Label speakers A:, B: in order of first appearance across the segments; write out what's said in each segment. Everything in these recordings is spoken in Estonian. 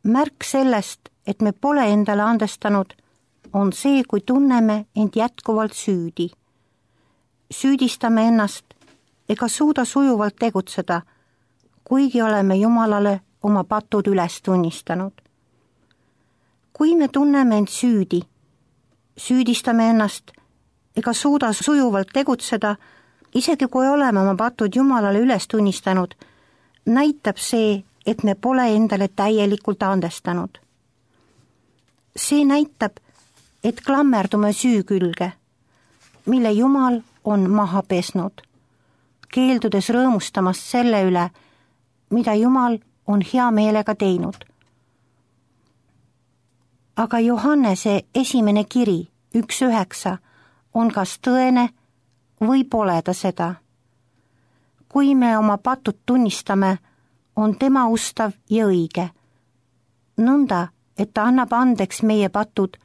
A: Märk sellest, et me pole endale andestanud, on see, kui tunneme end jätkuvalt süüdi. Süüdistame ennast ega suuda sujuvalt tegutseda, kuigi oleme Jumalale oma patud üles tunnistanud. Kui me tunneme end süüdi, süüdistame ennast ega suuda sujuvalt tegutseda, isegi kui oleme oma patud Jumalale üles tunnistanud, näitab see, et me pole endale täielikult andestanud. See näitab, et klammerdume süü külge, mille Jumal on maha pesnud, keeldudes rõõmustamast selle üle, mida Jumal on hea meelega teinud. Aga Johannese esimene kiri 1:9 on kas tõene või pole ta seda. Kui me oma patud tunnistame, on tema ustav ja õige, nõnda, et ta annab andeks meie patud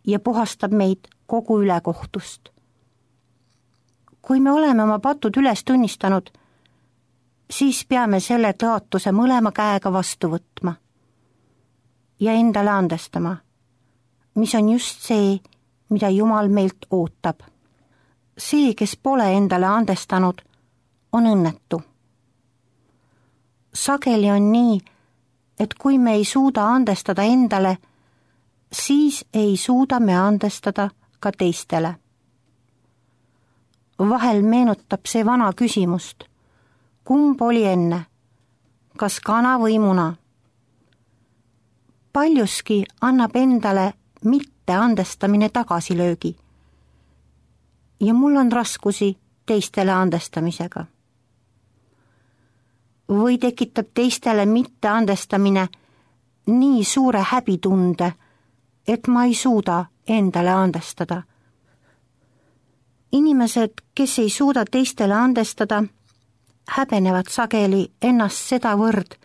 A: ja puhastab meid kogu ülekohtust. Kui me oleme oma patud üles tunnistanud, siis peame selle tõotuse mõlema käega vastu võtma ja endale andestama, mis on just see, mida Jumal meilt ootab. See, kes pole endale andestanud, on õnnetu. Sageli on nii, et kui me ei suuda andestada endale, siis ei suuda me andestada ka teistele. Vahel meenutab see vana küsimust, kumb oli enne, kas kana või muna? Paljuski annab endale mitte andestamine tagasilöögi ja mul on raskusi teistele andestamisega. Või tekitab teistele mitte andestamine nii suure häbitunde, et ma ei suuda endale andestada. Inimesed, kes ei suuda teistele andestada, häbenevad sageli ennast sedavõrd,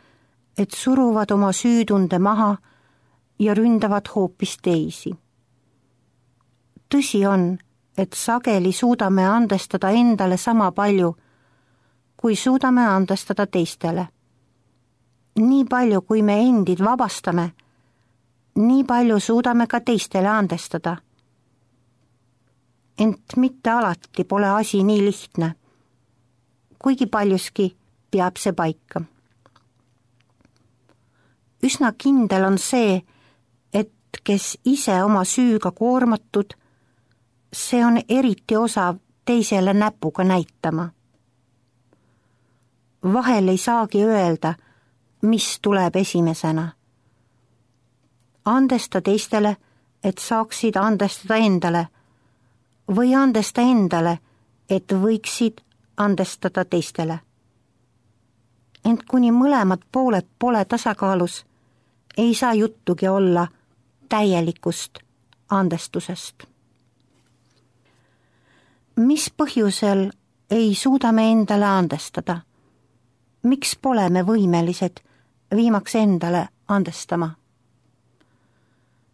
A: et suruvad oma süütunde maha ja ründavad hoopis teisi. Tõsi on, et sageli suudame andestada endale sama palju, kui suudame andestada teistele. Nii palju, kui me endid vabastame, nii palju suudame ka teistele andestada. Ent mitte alati pole asi nii lihtne, kuigi paljuski peab see paika. Üsna kindel on see, et kes ise oma süüga koormatud, see on eriti osav teisele näpuga näitama. Vahel ei saagi öelda, mis tuleb esimesena. Andesta teistele, et saaksid andestada endale, või andesta endale, et võiksid andestada teistele. Ent kuni mõlemad pooled pole tasakaalus, ei saa juttugi olla täielikust andestusest. Mis põhjusel ei suuda me endale andestada? Miks pole me võimelised viimaks endale andestama?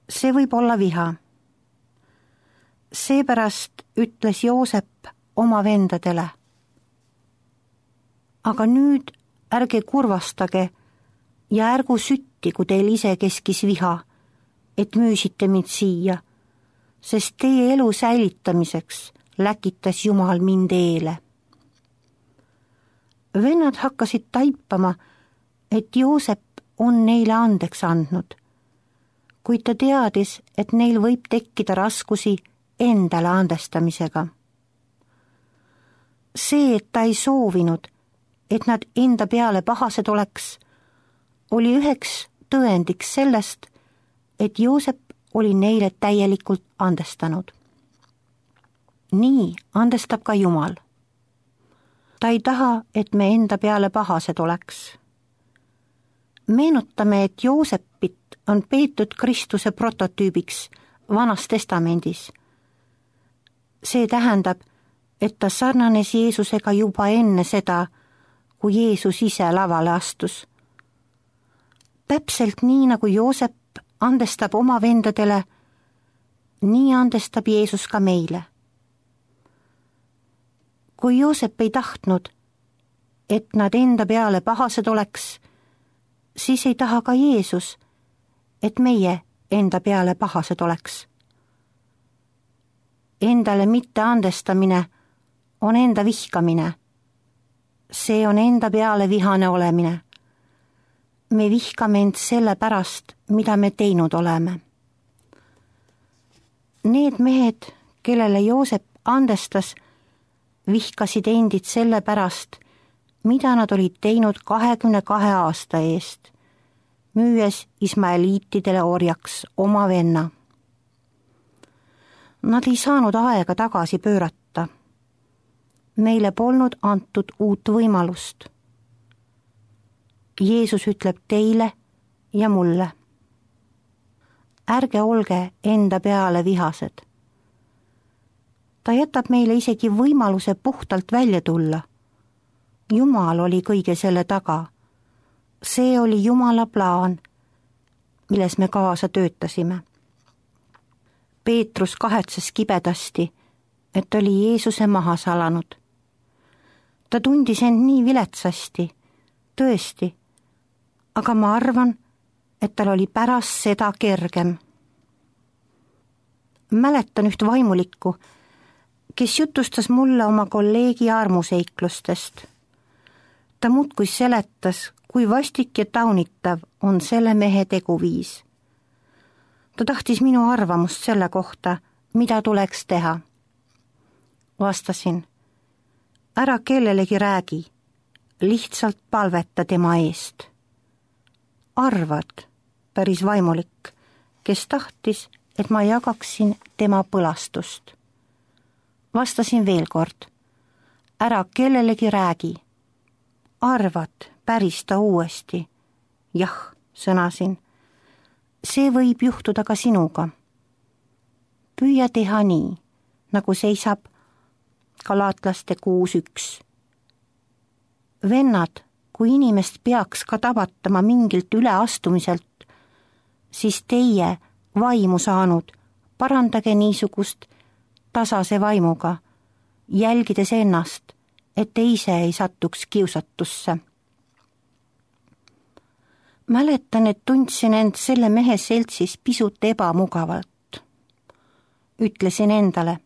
A: See võib olla viha. Seepärast ütles Joosep oma vendadele: aga nüüd ärge kurvastage ja ärgu süttigu teil ise keskis viha, et müüsite mind siia, sest teie elu säilitamiseks läkitas Jumal mind eele. Vennad hakkasid taipama, et Joosep on neile andeks andnud, kuid ta teadis, et neil võib tekkida raskusi endale andestamisega. See, et ta ei soovinud, et nad enda peale pahased oleks, oli üheks tõendiks sellest, et Joosep oli neile täielikult andestanud. Nii andestab ka Jumal. Ta ei taha, et me enda peale pahased oleks. Meenutame, et Joosepit on peetud Kristuse prototüübiks Vanas Testamendis. See tähendab, et ta sarnanes Jeesusega juba enne seda, kui Jeesus ise lavale astus. Täpselt nii, nagu Joosep andestab oma vendadele, nii andestab Jeesus ka meile. Kui Joosep ei tahtnud, et nad enda peale pahased oleks, siis ei taha ka Jeesus, et meie enda peale pahased oleks. Endale mitte andestamine on enda vihkamine. See on enda peale vihane olemine. Me vihkame end selle pärast, mida me teinud oleme. Need mehed, kellele Joosep andestas, vihkasid endid selle pärast, mida nad olid teinud 22 aasta eest, müües ismaeliitidele orjaks oma venna. Nad ei saanud aega tagasi pöörata. Neile polnud antud uut võimalust. Jeesus ütleb teile ja mulle. Ärge olge enda peale vihased. Ta jätab meile isegi võimaluse puhtalt välja tulla. Jumal oli kõige selle taga. See oli Jumala plaan, milles me kaasa töötasime. Peetrus kahetses kibedasti, et oli Jeesuse maha salanud. Ta tundis end nii viletsasti, tõesti, aga ma arvan, et tal oli pärast seda kergem. Mäletan üht vaimulikku, kes jutustas mulle oma kolleegi armuseiklustest. Ta muudkui seletas, kui vastik ja taunitav on selle mehe teguviis. Ta tahtis minu arvamust selle kohta, mida tuleks teha. Vastasin, ära kellelegi räägi, lihtsalt palveta tema eest. Arvad, päris vaimulik, kes tahtis, et ma jagaksin tema põlastust. Vastasin veel kord, ära kellelegi räägi. Arvad, päris ta uuesti. Jah, sõnasin. See võib juhtuda ka sinuga. Püüa teha nii, nagu seisab Galaatlaste 6.1. Vennad, kui inimest peaks ka tabatama mingilt üleastumiselt, siis teie vaimu saanud, parandage niisugust tasase vaimuga, jälgides ennast, et te ise ei satuks kiusatusse. Mäletan, et tundsin end selle mehe seltsis pisut ebamugavalt. Ütlesin endale,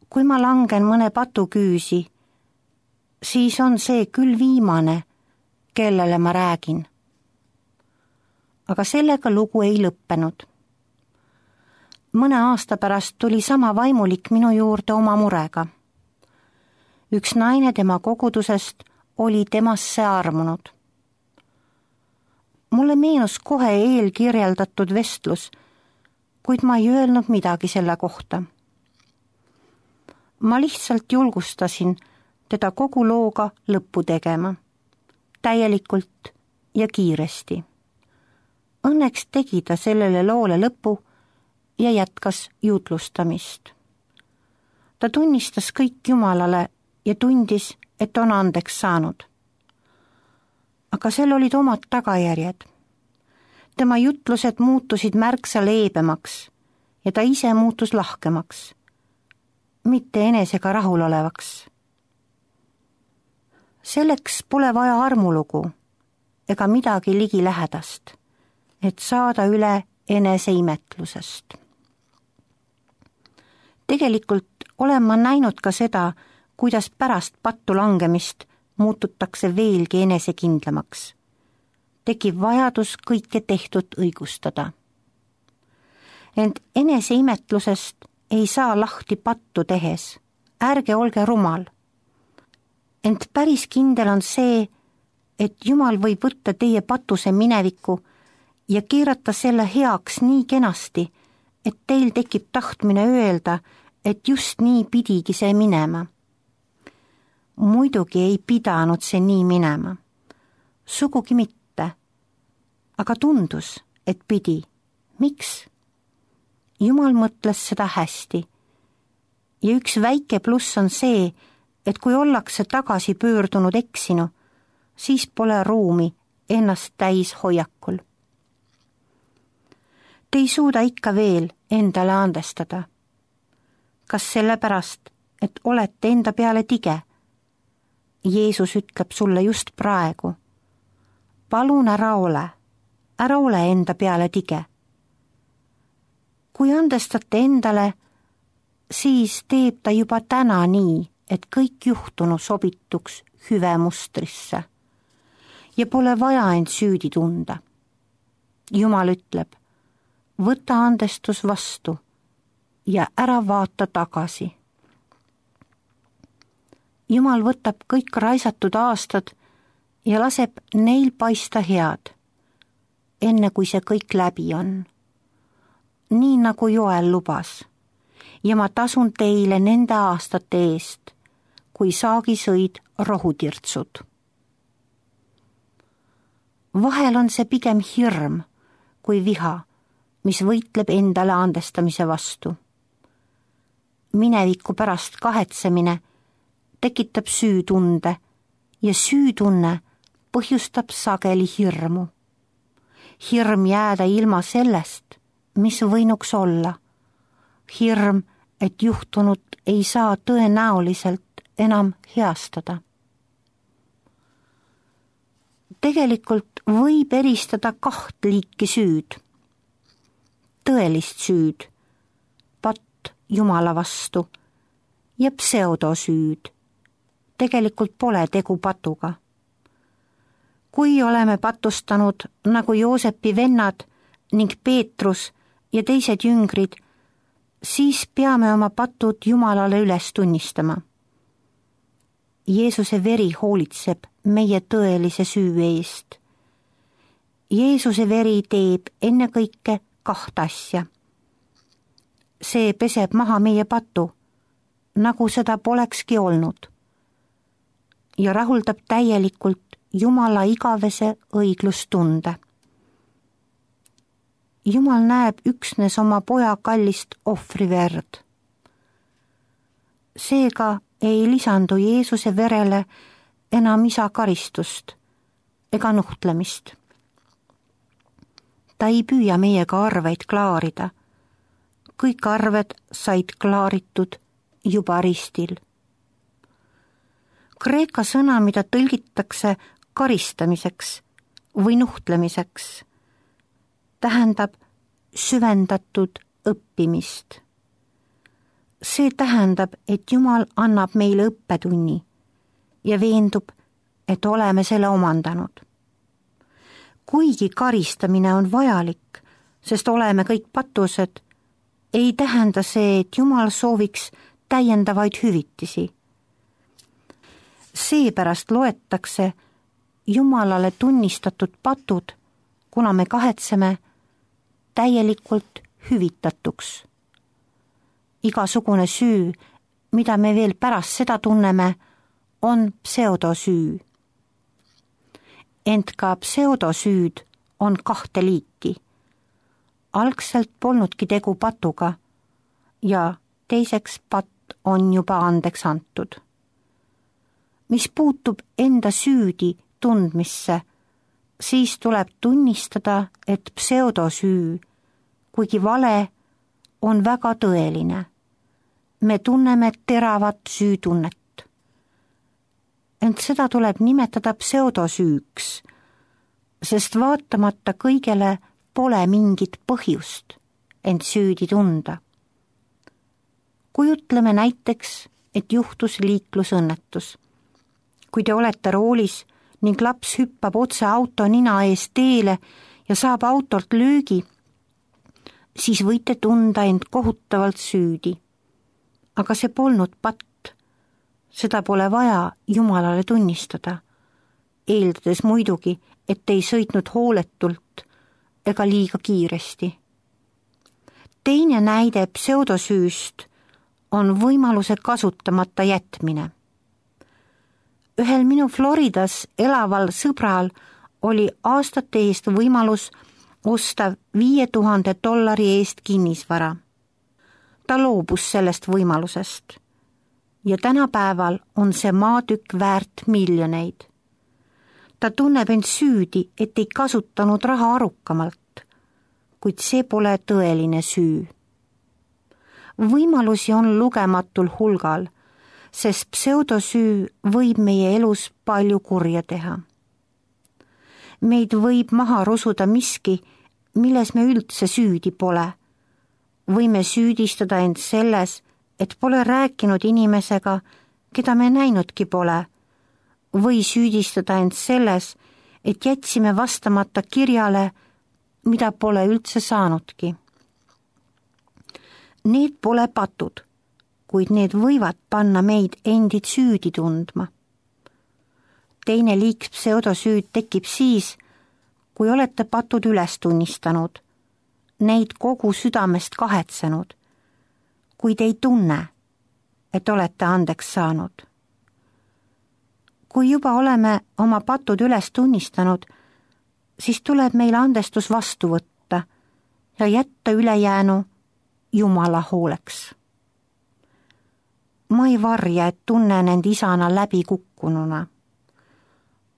A: kui ma langen mõne patuküüsi, siis on see küll viimane, kellele ma räägin. Aga sellega lugu ei lõppenud. Mõne aasta pärast tuli sama vaimulik minu juurde oma murega. Üks naine tema kogudusest oli temasse armunud. Mulle meenus kohe eelkirjeldatud vestlus, kuid ma ei öelnud midagi selle kohta. Ma lihtsalt julgustasin teda kogu looga lõppu tegema, täielikult ja kiiresti. Õnneks tegi ta sellele loole lõpu ja jätkas jutlustamist. Ta tunnistas kõik Jumalale ja tundis, et on andeks saanud. Aga sel olid omad tagajärjed. Tema jutlused muutusid märksa leebemaks ja ta ise muutus lahkemaks, mitte enesega rahulolevaks. Selleks pole vaja armulugu ega midagi ligilähedast, et saada üle eneseimetlusest. Tegelikult olen ma näinud ka seda, kuidas pärast pattu langemist muututakse veelgi enesekindlamaks. Tekib vajadus kõike tehtud õigustada. Ent eneseimetlusest ei saa lahti pattu tehes. Ärge olge rumal. Ent päris kindel on see, et Jumal võib võtta teie patuse mineviku ja keerata selle heaks nii kenasti, et teil tekib tahtmine öelda, et just nii pidigi see minema. Muidugi ei pidanud see nii minema. Sugugi mitte. Aga tundus, et pidi. Miks? Jumal mõtles seda hästi. Ja üks väike pluss on see, et kui ollakse tagasi pöördunud eksinu, siis pole ruumi ennast täis hoiakul. Te ei suuda ikka veel endale andestada. Kas sellepärast, et olete enda peale tige? Jeesus ütleb sulle just praegu. Palun ära ole. ära ole enda peale tige. Kui andestate endale, siis teeb ta juba täna nii, et kõik juhtunu sobituks hüve mustrisse ja pole vaja end süüdi tunda. Jumal ütleb, võta andestus vastu ja ära vaata tagasi. Jumal võtab kõik raisatud aastad ja laseb neil paista head, enne kui see kõik läbi on. Nii nagu Joel lubas, ja ma tasun teile nende aastate eest, kui saagi sõid rohutirtsud. Vahel on see pigem hirm kui viha, mis võitleb endale andestamise vastu. Mineviku pärast kahetsemine tekitab süütunde ja süütunne põhjustab sageli hirmu. Hirm jääda ilma sellest, mis võinuks olla. Hirm, et juhtunut ei saa tõenäoliselt enam heastada. Tegelikult võib eristada 2 liiki süüd. Tõelist süüd, patt Jumala vastu, ja pseudosüüd. Tegelikult pole tegu patuga. Kui oleme patustanud nagu Joosepi vennad ning Peetrus ja teised jüngrid, siis peame oma patud Jumalale üles tunnistama. Jeesuse veri hoolitseb meie tõelise süü eest. Jeesuse veri teeb ennekõike 2 asja. See peseb maha meie patu, nagu seda polekski olnud, ja rahuldab täielikult Jumala igavese õiglustunde. Jumal näeb üksnes oma poja kallist ohvriverd. Seega ei lisandu Jeesuse verele enam isa karistust ega nuhtlemist. Ta ei püüa meiega arveid klaarida. Kõik arved said klaaritud juba ristil. Kreeka sõna, mida tõlgitakse karistamiseks või nuhtlemiseks, tähendab süvendatud õppimist. See tähendab, et Jumal annab meile õppetunni ja veendub, et oleme selle omandanud. Kuigi karistamine on vajalik, sest oleme kõik patused, ei tähenda see, et Jumal sooviks täiendavaid hüvitisi. Seepärast loetakse Jumalale tunnistatud patud, kuna me kahetseme, täielikult hüvitatuks. Igasugune süü, mida me veel pärast seda tunneme, on pseudosüü. Ent ka pseudosüüd on 2 liiki. Algselt polnudki tegu patuga ja teiseks patt on juba andeks antud. Mis puutub enda süüdi tundmisse, siis tuleb tunnistada, et pseudosüü, kuigi vale, on väga tõeline. Me tunneme teravat süütunnet. Ent seda tuleb nimetada pseudosüüks, sest vaatamata kõigele pole mingit põhjust end süüdi tunda. Kujutleme näiteks, et juhtus liiklusõnnetus. Kui te olete roolis ning laps hüppab otse auto nina ees teele ja saab autolt löögi, siis võite tunda end kohutavalt süüdi. Aga see polnud patt. Seda pole vaja Jumalale tunnistada, eeldades muidugi, et ei sõitnud hooletult ega liiga kiiresti. Teine näide pseudosüüst on võimaluse kasutamata jätmine. Ühel minu Floridas elaval sõbral oli aastate eest võimalus osta $5000 eest kinnisvara. Ta loobus sellest võimalusest ja tänapäeval on see maatükk väärt miljoneid. Ta tunneb end süüdi, et ei kasutanud raha arukamalt, kuid see pole tõeline süü. Võimalusi on lugematul hulgal, sest pseudosüü võib meie elus palju kurja teha. Meid võib maha rusuda miski, milles me üldse süüdi pole. Võime süüdistada end selles, et pole rääkinud inimesega, keda me näinudki pole, või süüdistada end selles, et jätsime vastamata kirjale, mida pole üldse saanudki. Need pole patud, kuid need võivad panna meid endid süüdi tundma. Teine liik pseudosüüd tekib siis, kui olete patud üles tunnistanud, neid kogu südamest kahetsenud, kuid ei tunne, et olete andeks saanud. Kui juba oleme oma patud üles tunnistanud, siis tuleb meil andestus vastu võtta ja jätta ülejäänu Jumala hooleks. Ma ei varja, et tunnen end isana läbi kukkununa.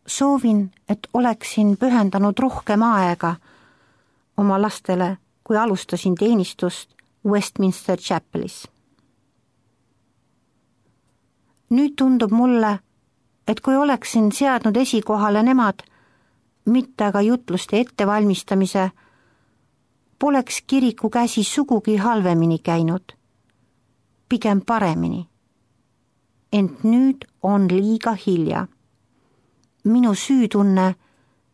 A: Soovin, et oleksin pühendanud rohkem aega oma lastele, kui alustasin teenistust Westminster Chapelis. Nüüd tundub mulle, et kui oleksin seadnud esikohale nemad, mitte aga jutluste ettevalmistamise, poleks kiriku käsi sugugi halvemini käinud, pigem paremini. Ent nüüd on liiga hilja. Minu süütunne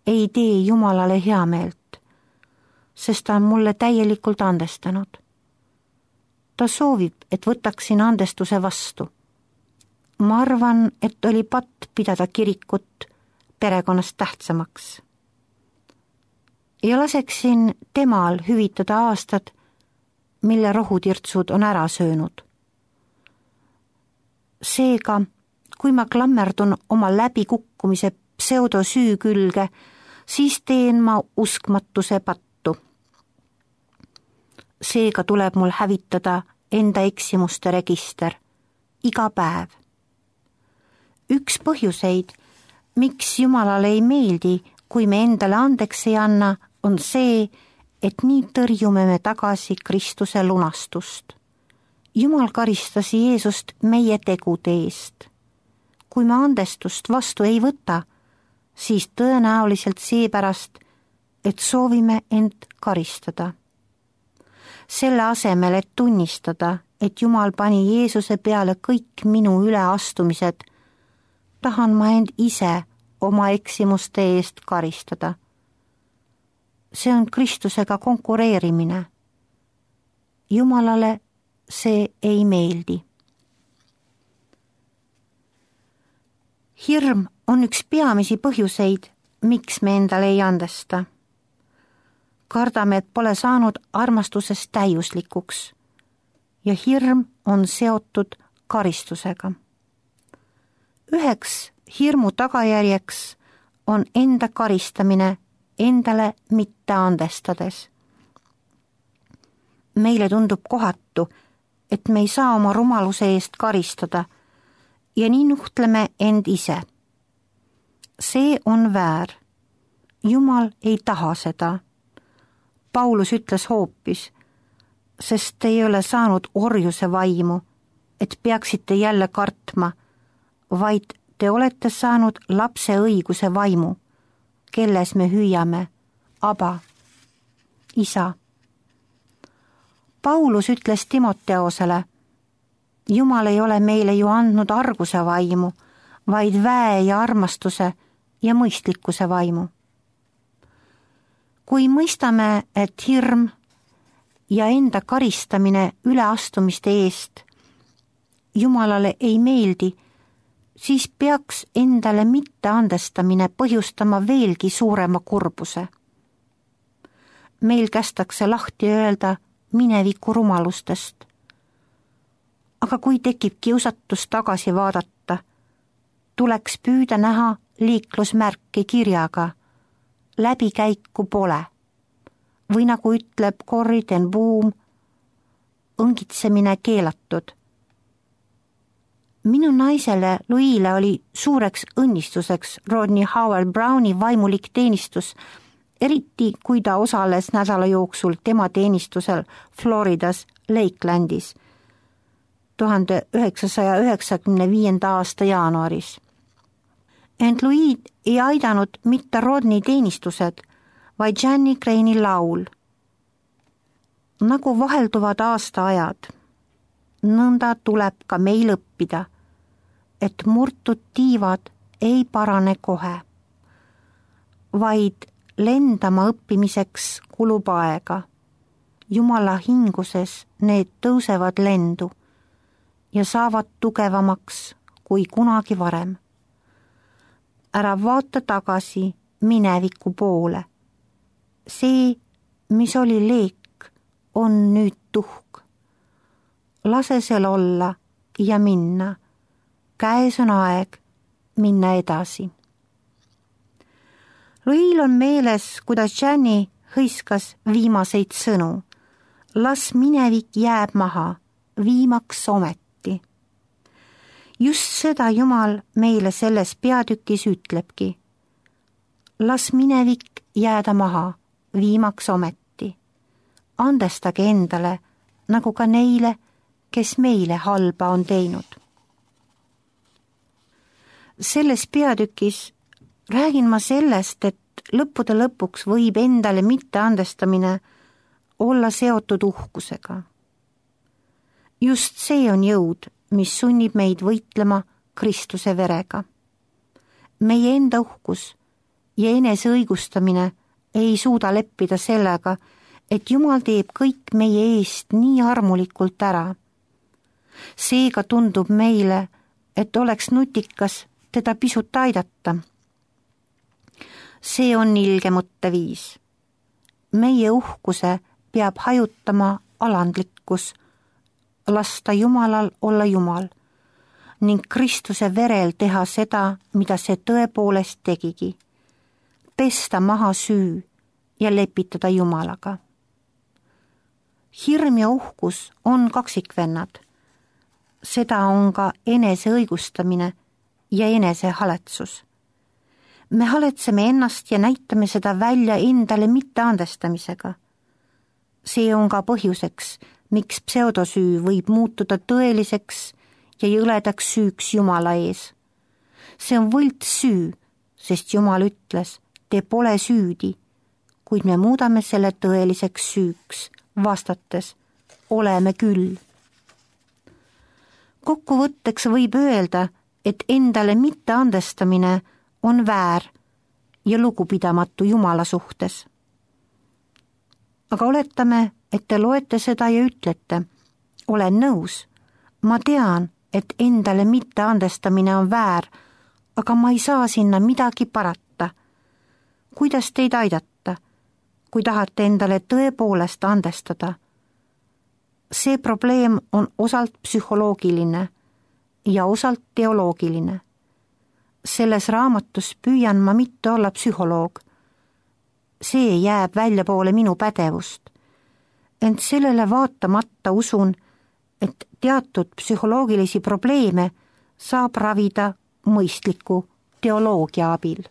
A: ei tee Jumalale heameelt, sest ta on mulle täielikult andestanud. Ta soovib, et võtaksin andestuse vastu. Ma arvan, et oli patt pidada kirikut perekonnast tähtsamaks. Ja laseksin temal hüvitada aastad, mille rohutirtsud on ära söönud. Seega, kui ma klammerdun oma läbikukkumise pseudosüü külge, siis teen ma uskmatuse pattu. Seega tuleb mul hävitada enda eksimuste register iga päev. Üks põhjuseid, miks Jumalale ei meeldi, kui me endale andeks ei anna, on see, et nii tõrjume me tagasi Kristuse lunastust. Jumal karistas Jeesust meie tegude eest. Kui me andestust vastu ei võta, siis tõenäoliselt seepärast, et soovime end karistada. Selle asemel, et tunnistada, et Jumal pani Jeesuse peale kõik minu üleastumised, tahan ma end ise oma eksimuste eest karistada. See on Kristusega konkureerimine. Jumalale see ei meeldi. Hirm on üks peamisi põhjuseid, miks me endale ei andesta. Kardame, et pole saanud armastusest täiuslikuks ja hirm on seotud karistusega. Üheks hirmu tagajärjeks on enda karistamine endale mitte andestades. Meile tundub kohatu, et me ei saa oma rumaluse eest karistada ja nii nuhtleme end ise. See on väär. Jumal ei taha seda. Paulus ütles hoopis, sest ei ole saanud orjuse vaimu, et peaksite jälle kartma, vaid te olete saanud lapse õiguse vaimu, kelles me hüüame, Aba, isa. Paulus ütles Timoteosele, Jumal ei ole meile ju andnud arguse vaimu, vaid väe ja armastuse ja mõistlikkuse vaimu. Kui mõistame, et hirm ja enda karistamine üleastumiste eest Jumalale ei meeldi, siis peaks endale mitteandestamine põhjustama veelgi suurema kurbuse. Meil kästakse lahti öelda mineviku rumalustest. Aga kui tekib kiusatus tagasi vaadata, tuleks püüda näha liiklusmärki kirjaga läbikäiku pole või nagu ütleb Corrie ten Boom, õngitsemine keelatud. Minu naisele Louis'le oli suureks õnnistuseks Rodney Howard Browni vaimulik teenistus, eriti kui ta osales nädala jooksul tema teenistusel Floridas Lakelandis 1995. aasta jaanuaris. Ent Louis ei aidanud mitte Rodney teenistused, vaid Jeannie Crane'i laul. Nagu vahelduvad aastaajad, nõnda tuleb ka meil õppida, et murtud tiivad ei parane kohe, vaid lendama õppimiseks kulub aega. Jumala hinguses need tõusevad lendu ja saavad tugevamaks kui kunagi varem. Ära vaata tagasi mineviku poole. See, mis oli leek, on nüüd tuhk. Lase sel olla ja minna. Käes on aeg minna edasi. Louis'l on meeles, kuidas Jeannie hõiskas viimaseid sõnu. Las minevik jääb maha, viimaks ometi. Just seda Jumal meile selles peatükis ütlebki. Las minevik jääda maha, viimaks ometi. Andestage endale, nagu ka neile, kes meile halba on teinud. Selles peatükis räägin ma sellest, et lõppude lõpuks võib endale mitteandestamine olla seotud uhkusega. Just see on jõud, mis sunnib meid võitlema Kristuse verega. Meie enda uhkus ja eneseõigustamine ei suuda leppida sellega, et Jumal teeb kõik meie eest nii armulikult ära. Seega tundub meile, et oleks nutikas teda pisut aidata. See on ilge mõtteviis. Meie uhkuse peab hajutama alandlikkus, lasta Jumalal olla Jumal ning Kristuse verel teha seda, mida see tõepoolest tegigi. Pesta maha süü ja lepitada Jumalaga. Hirm ja uhkus on kaksikvennad. Seda on ka eneseõigustamine ja enesehaletsus. Me haletseme ennast ja näitame seda välja endale mitteandestamisega. See on ka põhjuseks, miks pseudosüü võib muutuda tõeliseks ja jõledaks süüks Jumala ees. See on võltssüü, sest Jumal ütles, te pole süüdi, kuid me muudame selle tõeliseks süüks, vastates, oleme küll. Kokkuvõtteks võib öelda, et endale mitteandestamine on väär ja lugupidamatu Jumala suhtes. Aga oletame, et te loete seda ja ütlete, olen nõus, ma tean, et endale mitteandestamine on väär, aga ma ei saa sinna midagi parata. Kuidas teid aidata, kui tahate endale tõepoolest andestada? See probleem on osalt psühholoogiline ja osalt teoloogiline. Selles raamatus püüan ma mitte olla psühholoog. See jääb väljapoole minu pädevust. Ent sellele vaatamata usun, et teatud psühholoogilisi probleeme saab ravida mõistliku teoloogia abil.